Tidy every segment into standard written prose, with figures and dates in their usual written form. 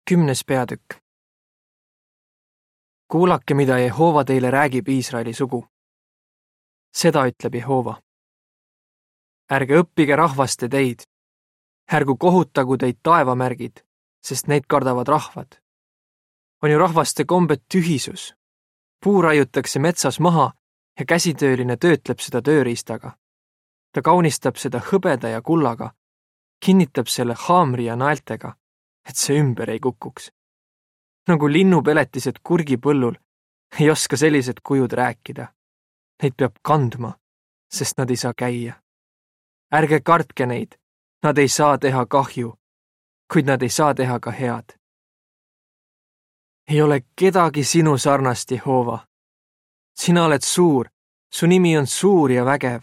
10. peatükk. Kuulake, mida Jehoova teile räägib Iisraeli sugu. Seda ütleb Jehoova. Ärge õppige rahvaste teid. Ärgu kohutagu teid taevamärgid, sest neid kardavad rahvad. On ju rahvaste kombed tühisus. Puu raiutakse metsas maha ja käsitööline töötleb seda tööriistaga. Ta kaunistab seda hõbeda ja kullaga, kinnitab selle haamri ja naeltega, et see ümber ei kukuks. Nagu linnupeletised kurgipõllul ei oska sellised kujud rääkida. Neid peab kandma, sest nad ei saa käia. Ärge kartke neid, nad ei saa teha kahju, kuid nad ei saa teha ka head. Ei ole kedagi sinu sarnast, Jehoova. Sina oled suur, su nimi on suur ja vägev.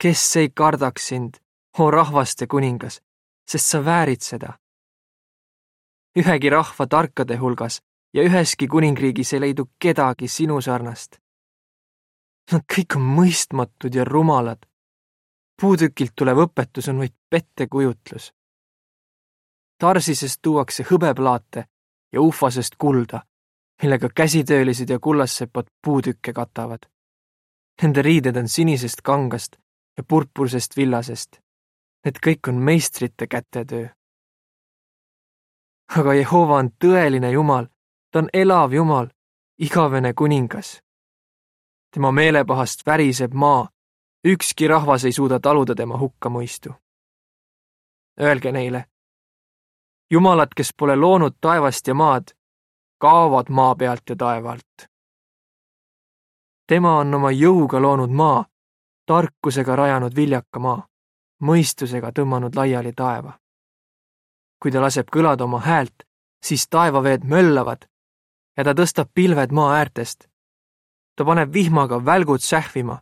Kes ei kardaks sind, o rahvaste kuningas, sest sa väärid seda. Ühegi rahva tarkade hulgas ja üheski kuningriigis ei leidu kedagi sinu sarnast. Nad kõik on mõistmatud ja rumalad. Puutükilt tulev õpetus on vaid pettekujutlus. Tarsisest tuuakse hõbeplaate ja ufasest kulda, millega käsitöölised ja kullassepad puutükke katavad. Nende riided on sinisest kangast ja purpursest villasest. Need kõik on meistrite kätetöö. Aga Jehoova on tõeline Jumal, ta on elav Jumal, igavene kuningas. Tema meelepahast väriseb maa, ükski rahvas ei suuda taluda tema hukkamõistu. Öelge neile, Jumalad, kes pole loonud taevast ja maad, kaovad maa pealt ja taevalt. Tema on oma jõuga loonud maa, tarkusega rajanud viljaka maa, mõistusega tõmmanud laiali taeva. Kui ta laseb kõlada oma häält, siis taevaveed möllavad ja ta tõstab pilved maa äärtest. Ta paneb vihmaga välgud sähvima,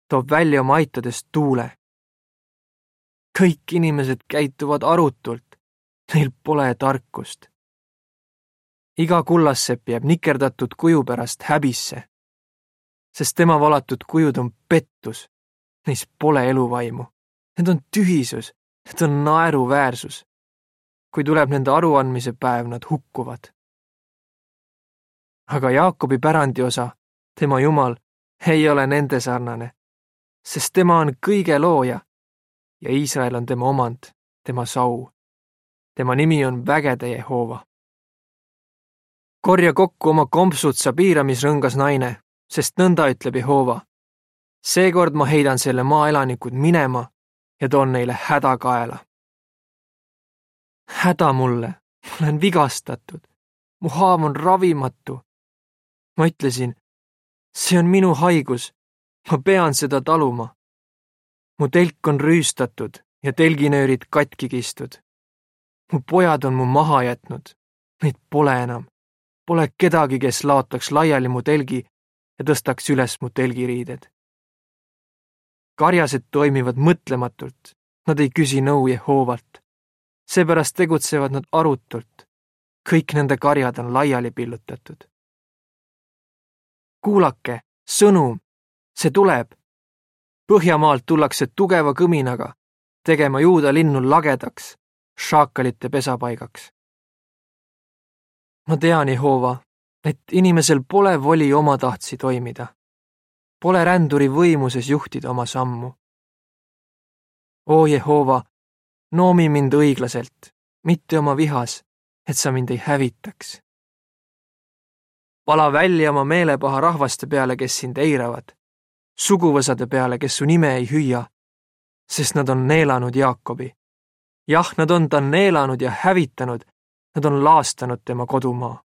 toob välja oma aitadest tuule. Kõik inimesed käituvad arutult, neil pole tarkust. Iga kullassepp jääb nikerdatud kuju pärast häbisse, sest tema valatud kujud on pettus, neis pole eluvaimu. Need on tühisus, need on naeruväärsus. Kui tuleb nende aruandmise päev, nad hukkuvad. Aga Jaakobi pärandiosa, tema Jumal, ei ole nende sarnane, sest tema on kõige looja ja Iisrael on tema omand, tema sau. Tema nimi on vägede Jehoova. Korja kokku oma kompsud, sa piiramisrõngas naine, sest nõnda ütleb Jehoova. Seekord ma heidan selle maa elanikud minema ja toon neile häda kaela. Häda mulle, ma olen vigastatud, mu haav on ravimatu. Ma ütlesin, see on minu haigus, ma pean seda taluma. Mu telk on rüüstatud ja telginöörid katki kistud. Mu pojad on mu maha jätnud, neid pole enam. Pole kedagi, kes laotaks laiali mu telgi ja tõstaks üles mu telgiriided. Karjased toimivad mõtlematult, nad ei küsi nõu Jehoovalt. Seepärast tegutsevad nad arutult. Kõik nende karjad on laiali pillutatud. Kuulake, sõnum, see tuleb. Põhjamaalt tullakse tugeva kõminaga, tegema Juuda linnu lagedaks, šaakalite pesapaigaks. Ma tean, Jehoova, et inimesel pole voli omatahtsi toimida. Pole ränduri võimuses juhtida oma sammu. O Jehoova, noomi mind õiglaselt, mitte oma vihas, et sa mind ei hävitaks. Vala välja oma meelepaha rahvaste peale, kes sind eiravad, suguvõsade peale, kes su nime ei hüüa, sest nad on neelanud Jaakobi. Jah, nad on ta neelanud ja hävitanud, nad on laastanud tema kodumaa.